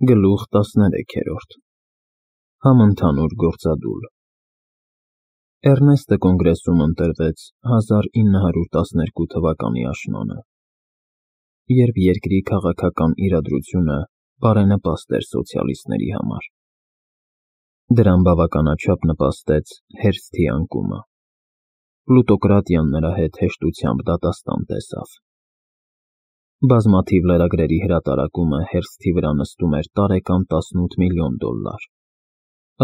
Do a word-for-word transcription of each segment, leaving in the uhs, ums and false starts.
Գլուխ տասներեքերորդ Համընդհանուր գործադուլ Էռնեստը կոնգրեսում ընտրվեց հազար ինը հարյուր տասներկու թվականի աշնանը, երբ երկրի քաղաքական իրադրությունը բարենպաստ էր սոցիալիստների համար։ Դրան բավականաչափ նպաստեց հերթի անկումը։ Պլուտոկրատիան նրա հետ հեշտությամբ դատաստան տեսավ։ Բազմաթիվ լրագրերի հրատարակումը հերթի վրա նստում էր տարեկան տասնութ միլիոն դոլար,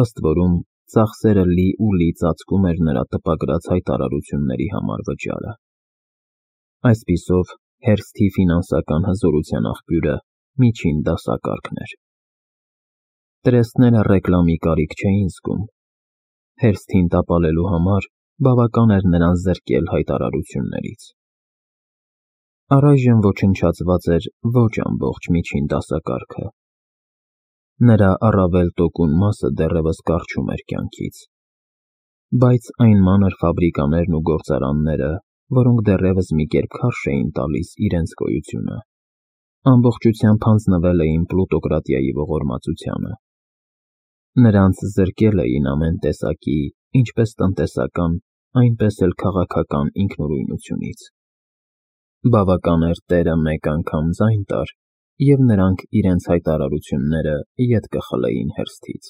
ըստ որում ծախսերը լի ու լի ծածկում էր նրա տպագրած հայտարարությունների համար վճարը։ Այսպիսով, հերթի ֆինանսական հզորության աղբյուրը միջին դասակարգն էր։ Տրեստները ռեկլամի կարիք չէին զգում։ Հերթին տապալելու համար բավական էր նրան զրկել հայտարարություններից։ Առայժմ ոչնչացված էր ոչ ամբողջ միջին դասակարգը։ Նրա առավել տոկուն մասը դեռևս կառչում էր կյանքից, բայց այն մանր ֆաբրիկաներն ու գործարանները, որոնք դեռևս մի կերպ քարշ էին տալիս իրենց գոյությունը, ամբողջությամբ հանձնվել էին պլուտոկրատիայի ողորմածությանը։ Նրանց զրկել էին ամեն տեսակի, ինչպես տնտեսական, այնպես էլ քաղաքական ինքնուրույնությունից։ Բավական էր տերը մեկ անգամ ձայն տար, և նրանք իրենց հայտարարությունները ետ կխլեին հերթից։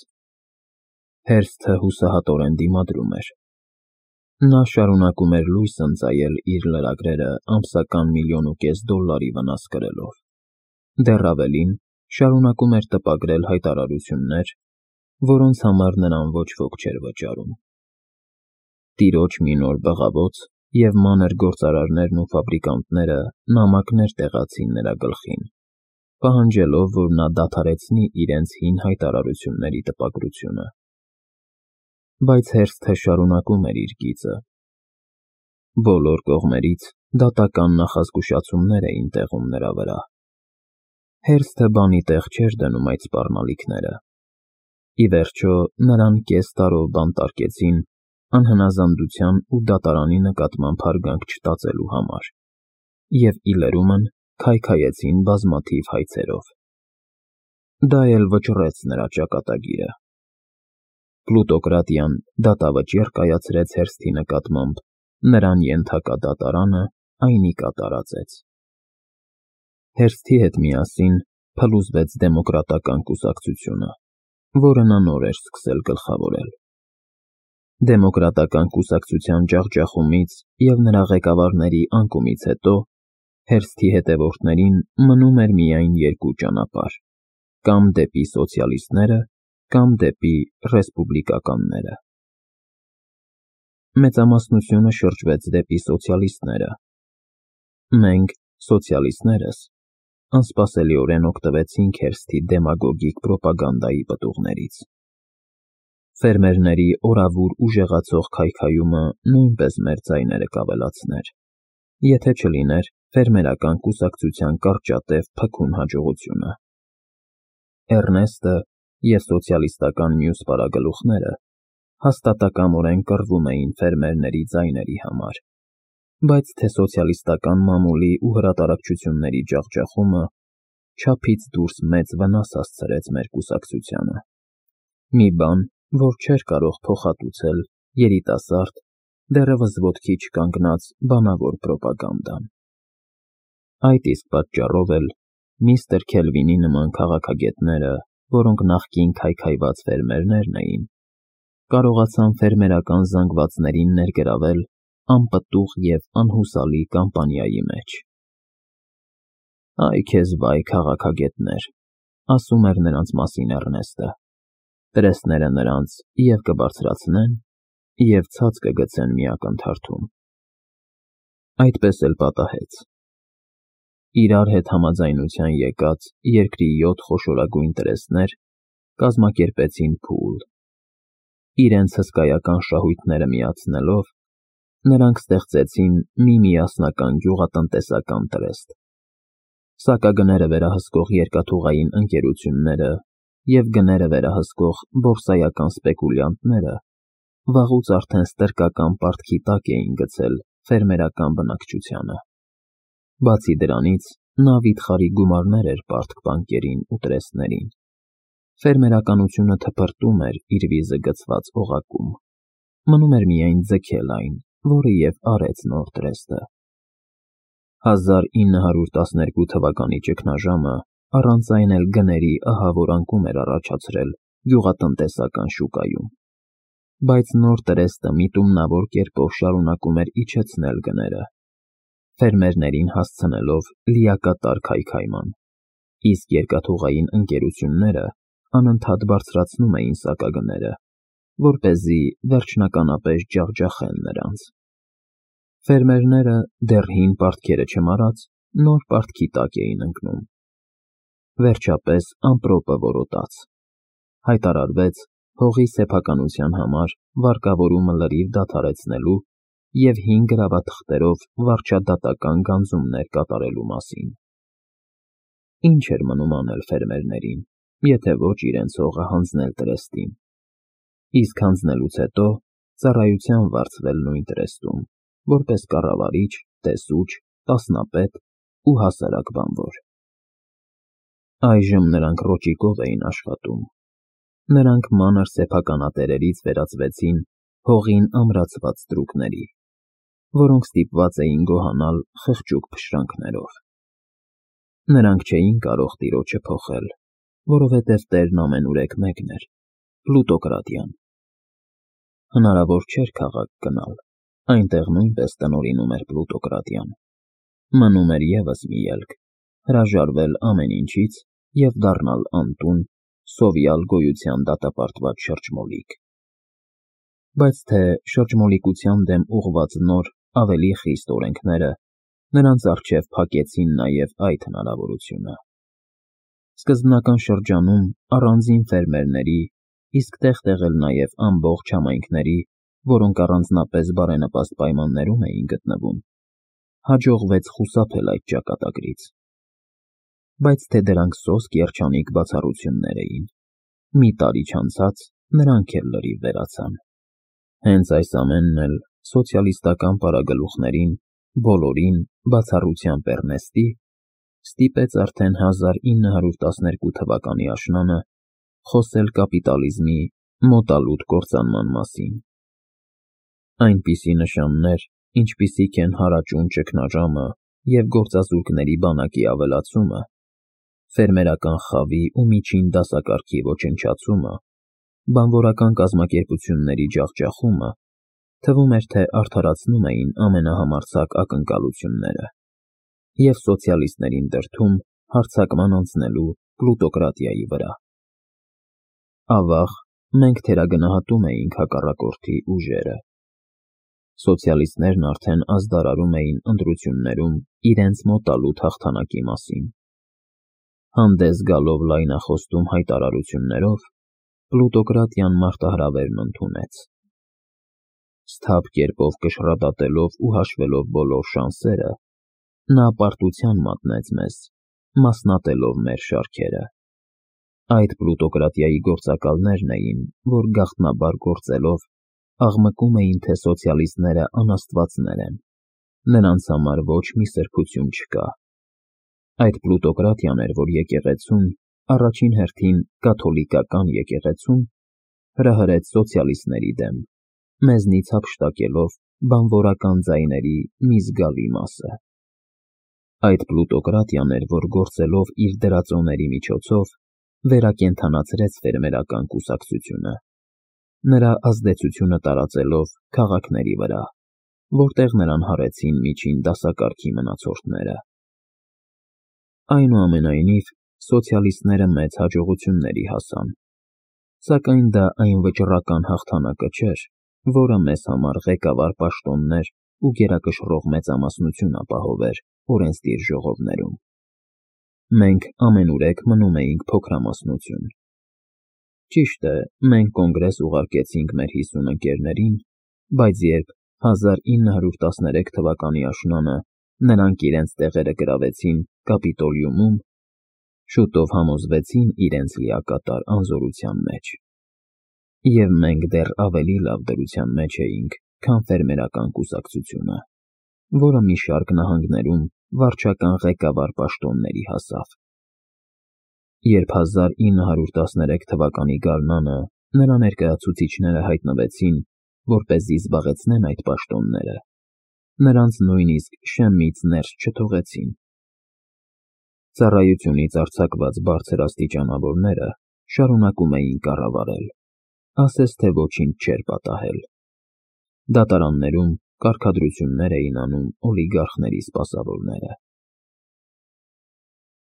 Հերթը հուսահատորեն դիմադրում էր։ Նա շարունակում էր լույս ընծայել իր լրագրերը ամսական միլիոն ու կես դոլարի վնաս կրելով։ Դեռ ավելին, շարունակում էր տպագրել հայտարարություններ, որոնց համար նրան ոչ ոք չէր վճարում։ Տիրոջ մի նոր բղավոց և մանր գործարարներն ու ֆաբրիկանտները նամակներ տեղացին նրա գլխին, պահանջելով, որ նա դադարեցնի իրենց հին հայտարարությունների տպագրությունը։ Բայց հերթը շարունակում էր իր գիծը։ Բոլոր կողմերից դատական նախազգուշացումներ էին տեղում նրա վրա։ Հերթը բանի տեղ չէր դնում այդ սպառնալիքները։ Ի վերջո, նրան կես տարով բանտարկեցին անհնազանդության ու դատարանի նկատմամբ հարգանք չտածելու համար և ի լրումն քայքայեցին բազմաթիվ հայցերով։ Դա էլ վճռեց նրա ճակատագիրը։ Պլուտոկրատիան դատավճիռ կայացրեց հերթի նկատմամբ, նրան ենթակա դատարանը այնի կատարածեց։ Հերթի հետ միասին փլուզվեց դեմոկրատական կուսակցությունը, որը նա նոր էր սկսել գլխավորել։ Դեմոկրատական կուսակցության ջախջախումից և նրա ղեկավարների անկումից հետո հերթի հետևորդներին մնում էր միայն երկու ճանապարհ՝ կամ դեպի սոցիալիստները, կամ դեպի ռեսպուբլիկականները։ Մեծամասնությունը շրջվեց դեպի սոցիալիստները։ Մենք, սոցիալիստներս, անսպասելիորեն օգտվեցինք հերթի դեմագոգիկ պրոպագանդայի պտուղներից։ Ֆերմերների օրավուր ուժեղացող քայքայումը նույնպես մեր ձայները կավելացներ, եթե չլիներ ֆերմերական կուսակցության կարճատև փքուն հաջողությունը։ Էռնեստը և սոցիալիստական մյուս պարագլուխները հաստատակամորեն կռվում էին ֆերմերների ձայների համար, բայց թե սոցիալիստական մամուլի ու հրատարակչությունների ջախջախումը չափից դուրս մեծ վնաս հասցրեց մեր կուսակցությանը։ Մի բան, որ չէր կարող փոխհատուցել երիտասարդ, դեռևս ոտքի չկանգնած բանավոր պրոպագանդան։ Այդ իսկ պատճառով էլ միստր Քելվինի նման քաղաքագետները, որոնք նախկին քայքայված ֆերմերներն էին, կարողացան ֆերմերական զանգվածներին ներգրավել անպտուղ և անհուսալի կամպանիայի մեջ։ «Այ քեզ վայ, քաղաքագետներ», ասում էր նրանց մասին Էռնեստը, «տրեստները նրանց և կբարձրացնեն, և ցած կգցեն մի ակնթարթում»։ Այդպես էլ պատահեց։ Իրար հետ համաձայնության եկած երկրի յոթ խոշորագույն տրեստներ կազմակերպեցին փուլ։ Իրենց հսկայական շահույթները միացնելով, նրանք ստեղծեցին մի միասնական գյուղատնտեսական տրեստ։ Սակագները վերահսկող երկաթուղային ընկերությունները և գները վերահսկող բորսայական սպեկուլյանտները վաղուց արդեն ստրկական պարտքի տակ էին գցել ֆերմերական բնակչությանը։ Բացի դրանից, նա վիթխարի գումարներ էր պարտք բանկերին ու տրեստներին։ Ֆերմերականությունը թփրտում էր իր վիզը գցված օղակում, մնում էր միայն ձգել այն, որը և արեց Նորտրեստը։ հազար ինը հարյուր տասներկու թվականի ճգնաժամը առանց այն էլ գների ահավոր անկում էր առաջացրել գյուղատնտեսական շուկայում, բայց Նորտրեստը միտումնավոր կերպով շարունակում էր իջեցնել գները, ֆերմերներին հասցնելով լիակատար քայքայման, իսկ երկաթուղային ընկերությունները անընդհատ բարձրացնում էին սակագները, որպեսզի վերջնականապես ջախջախեն նրանց։ Ֆերմերները դեռ հին պարտքերը չմարած նոր պարտքի տակ էին ընկնում։ Վերջապես ամպրոպը որոտաց։ Հայտարարվեց հողի սեփականության համար վարկավորումը լրիվ դադարեցնելու և հին գրավաթղթերով վարչադատական գանձումներ կատարելու մասին։ Ինչ էր մնում անել ֆերմերներին, եթե ոչ իրենց հողը հանձնել տրեստին, իսկ հանձնելուց հետո ծառայության վարձվել նույն տրեստում, որպես կառավարիչ, տեսուչ, տասնապետ ու հասարակ բանվոր։ Այժմ նրանք ռոճիկով էին աշխատում։ Նրանք մանր սեփականատերերից վերածվեցին հողին ամրացված ստրուկների, որոնք ստիպված էին գոհանալ խղճուկ փշրանքներով։ Նրանք չէին կարող տիրոջը փոխել, որովհետև տերն ամենուրեք մեկն էր՝ Պլուտոկրատիան։ Հնարավոր չէր քաղաք գնալ, այնտեղ նույնպես տնօրինում էր Պլուտոկրատիան։ Մնում էր ևս մի ելք՝ հրաժարվել ամեն ինչից և դառնալ անտուն, սովյալ գոյության դատապարտված շրջմոլիկ։ Բայց թե շրջմոլիկության դեմ ուղղված նոր, ավելի խիստ օրենքները նրանց առջև փակեցին նաև այդ հնարավորությունը։ Սկզբնական շրջանում առանձին ֆերմերների, իսկ տեղ-տեղ էլ նաև ամբողջ համայնքների, որոնք առանձնապես բարենպաստ պայմաններում էին գտնվում, հաջողվեց խուսափել այդ ճակատագրից։ Բայց թե դրանք սոսկ երջանիկ բացառություններ էին, մի տարի չանցած նրանք էլ լրիվ վերացան։ Հենց այս ամենն էլ սոցիալիստական պարագլուխներին, բոլորին, բացառությամբ Էռնեստի, ստիպեց արդեն հազար ինը հարյուր տասներկու թվականի աշնանը խոսել կապիտալիզմի մոտալուտ կործանման մասին։ Այնպիսի նշաններ, ինչպիսիք են հարաճուն ճգնաժամը և գործազուրկների բանակի ավելացումը, ֆերմերական խավի ու միջին դասակարգի ոչնչացումը, բանվորական կազմակերպությունների ջախջախումը, թվում էր, թե արդարացնում էին ամենահամարձակ ակնկալությունները և սոցիալիստներին դրդում հարձակման անցնելու պլուտոկրատիայի վրա։ Ավաղ, մենք թերագնահատում էինք հակառակորդի ուժերը։ Սոցիալիստներն արդեն ազդարարում էին ընտրություններում իրենց մոտալուտ հաղթանակի մասին։ Հանդես գալով լայնախոստում հայտարարություններով, պլուտոկրատիան մարտահրավերն ընդունեց։ Սթափ կերպով կշռադատելով ու հաշվելով բոլոր շանսերը, նա պարտության մատնեց մեզ, մասնատելով մեր շարքերը։ Այդ պլուտոկրատիայի գործակալներն էին, որ գաղտնաբար գործելով, աղմկում էին, թե սոցիալիստները անաստվածներ են, նրանց համար ոչ մի սրբություն չկա։ Այդ պլուտոկրատիան էր, որ եկեղեցուն, առաջին հերթին կաթոլիկական եկեղեցուն, հրահրեց սոցիալիստների դեմ, մեզնից հափշտակելով բանվորական ձայների մի զգալի մասը։ Այդ պլուտոկրատիան էր, որ գործելով իր դրածոների միջոցով վերակենդանացրեց ֆերմերական կուսակցությունը, նրա ազդեցությունը տարածելով քաղաքների վրա, որտեղ նրան հարեցին միջին դասակարգի մնացորդները։ Այնուամենայնիվ, սոցիալիստները մեծ հաջողությունների հասան, սակայն դա այն վճռական հաղթանակը չէր, որը մեզ համար ղեկավար պաշտոններ ու գերակշռող մեծամասնություն ապահովեր օրենսդիր ժողովներում։ Մենք ամենուրեք մնում էինք փոքրամասնություն։ Ճիշտ է, մենք կոնգրես ուղարկեցինք մեր հիսուն ընկերներին, բայց երբ հազար ինը հարյուր տասներեք թվականի աշնանը նրանք իրենց տեղերը գրավեցին Կապիտոլիումում, շուտով համոզվեցին իրենց լիակատար անզորության մեջ։ Եվ մենք դեռ ավելի լավ դրության մեջ էինք, քան ֆերմերական կուսակցությունը, որը մի շարք նահանգներում վարչական ղեկավար պաշտոնների հասավ։ Երբ հազար ինը հարյուր տասներեք թվականի գարնանը նրա ներկայացուցիչները հայտնվեցին, որպեսզի զբաղեցնեն այդ պաշտոնները, նրանց նույնիսկ շեմից ներս չթողեցին։ Ծառայությունից արձակված բարձրաստիճանավորները շարունակում էին կառավարել, ասես թե ոչինչ չէր պատահել։ Դատարաններում կարգադրություններ էին անում օլիգարխների սպասավորները։